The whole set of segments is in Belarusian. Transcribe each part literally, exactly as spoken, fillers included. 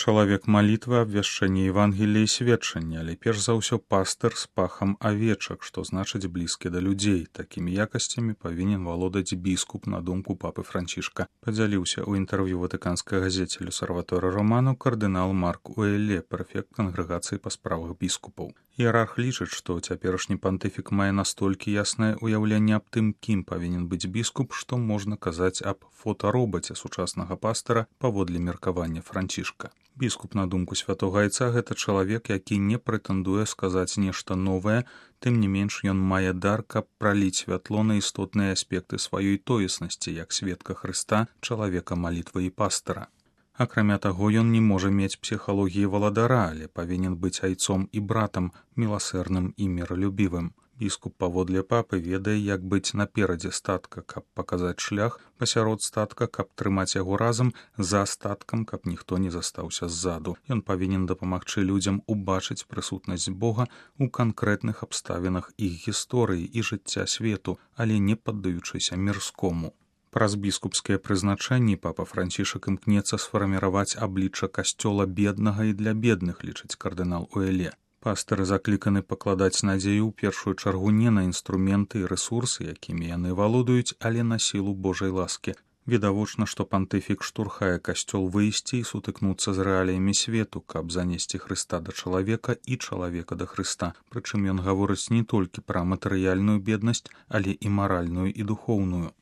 Чалавек малітвы, абвяшчэння Евангелія і сведчання, але перш за ўсё пастыр з пахам авечак, што значыць блізкі да людзей. Такімі якасцямі павінен валодаць біскуп, на думку папы Францішка. Падзяліўся ў інтэрв'ю ватыканскай газеце «L'Osservatore Romano» кардынал Марк Уэлле, прэфект кангрэгацыі па справах біскупаў. Іерарх лічыць, што цяперашні пантыфік мае настолькі яснае ўяўленне аб тым, кім павінен быць біскуп, што можна казаць аб фотаробаце сучаснага пастыра паводле меркавання Францішка. Біскуп, на думку святога айца, гэта чалавек, які не прэтэндуе сказаць нешта новае, тым не менш ён мае дар, каб праліць святло на істотныя аспекты сваёй тоеснасці, як сведка Хрыста, чалавека малітвы і пастыра. Акрамя таго, ён не можа мець псіхалогіі валадара, але павінен быць айцом і братам, міласэрным і міралюбівым. Біскуп паводле папы ведае, як быць наперадзе статка, каб паказаць шлях, пасярод статка, каб трымаць яго разам, за статкам, каб ніхто не застаўся ззаду. Ён павінен дапамагчы людзям убачыць прысутнасць Бога ў канкрэтных абставінах іх гісторыі і жыцця свету, але не паддаючыся мірскому. Праз біскупскія прызначэнні папа Францішак імкнецца сфарміраваць аблічча касцёла беднага і для бедных, лічыць кардынал Уэлле. Пастыры закліканы пакладаць надзею ў першую чаргу не на інструменты і рэсурсы, якімі яны валодаюць, але на сілу Божай ласкі. Відавочна, што пантыфік штурхае касцёл выйсці і сутыкнуцца з рэаліямі свету, каб занесці Хрыста да чалавека і чалавека да Хрыста. Прычым ён гаворыць не толькі пра матэрыяльную беднасць, але і маральную і духоўную.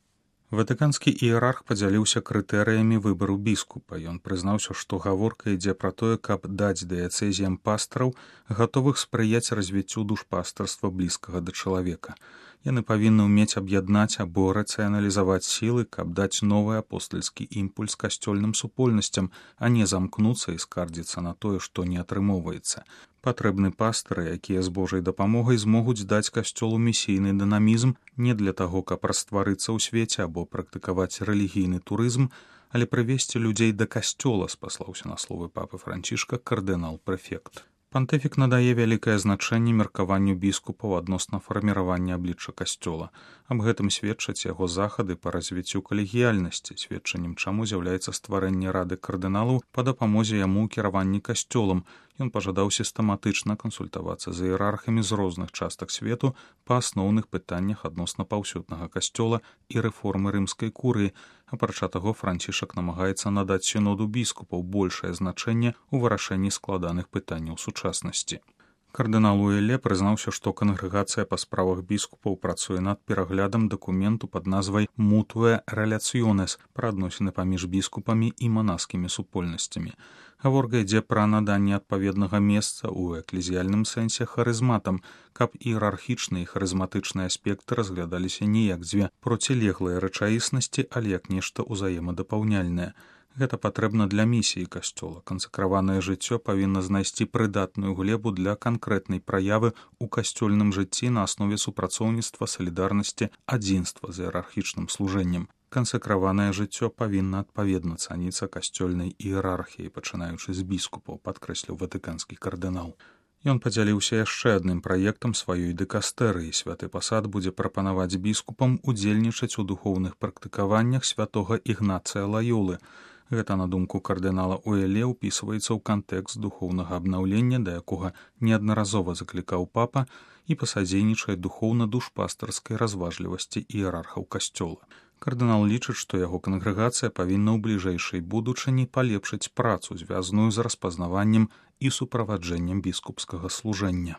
Ватыканскі іерарх падзяліўся крытэрыямі выбару біскупа. Ён прызнаўся, што гаворка ідзе пра тое, каб даць дыяцэзіям пастыраў, гатовых спрыяць развіццю душпастырства блізкага да чалавека. Яны павінны ўмець аб'яднаць або рацыяналізаваць сілы, каб даць новы апостальскі імпульс касцёльным супольнасцям, а не замкнуцца і скардзіцца на тое, што не атрымоўваецца. Патрэбны пастыры, якія з Божай дапамогай змогуць даць касцёлу місійны дынамізм не для таго, каб растварыцца ў свеце або практыкаваць рэлігійны турызм, але прывесці людзей да касцёла, спаслаўся на словы папы Францішка кардынал-прэфект. Пантыфік надае вялікае значэнне меркаванню біскупаў адносна фарміравання аблічча касцёла. Аб гэтым сведчаць яго захады па развіццю калегіяльнасці, сведчаннем чаму з'яўляецца стварэнне рады кардыналаў па дапамозе яму ў кіраванні касцёлам. Ён пажадаў сістэматычна кансультавацца з іерархамі з розных частак свету па асноўных пытаннях адносна паўсюднага касцёла і рэформы рымскай курыі. Апрача таго, Францішак намагаецца надаць сіноду біскупаў большае значэнне ў вырашэнні складаных пытанняў сучаснасці. Кардынал Уэлле прызнаўся, што кангрэгацыя па справах біскупаў працуе над пераглядам дакументу пад назвай «Мутуэ реляционес» пра адносіны паміж біскупамі і манаскімі супольнасцямі. Гаворка ідзе пра наданне адпаведнага месца ў эклезіяльным сэнсе харызматам, каб іерархічныя і харызматычныя аспекты разглядаліся не як дзве процілеглыя рэчаіснасці, але як нешта ўзаемадапаўняльнае. Гэта патрэбна для місіі касцёла. Кансакраванае жыццё павінна знайсці прыдатную глебу для канкрэтнай праявы ў касцёльным жыцці на аснове супрацоўніцтва, салідарнасці, адзінства з іерархічным служэннем. Кансакраванае жыццё павінна адпаведна цаніцца касцёльнай іерархіяй, пачынаючы з біскупаў, падкрэсліў ватыканскі кардынал. Ён падзяліўся яшчэ адным праектам сваёй дыкастэрыі. Святы пасад будзе прапанаваць біскупам удзельнічаць у духоўных практыкаваннях святога Ігнацыя Лаёлы. Гэта, на думку кардынала Уэлле, ўпісваецца ў кантэкст духоўнага абнаўлення, да якога неаднаразова заклікаў папа, і пасадзейнічае духоўна-душпастырскай разважлівасці іерархаў касцёла. Кардынал лічыць, што яго кангрэгацыя павінна ў бліжэйшай будучыні палепшыць працу, звязаную з распазнаваннем і суправаджэннем біскупскага служэння.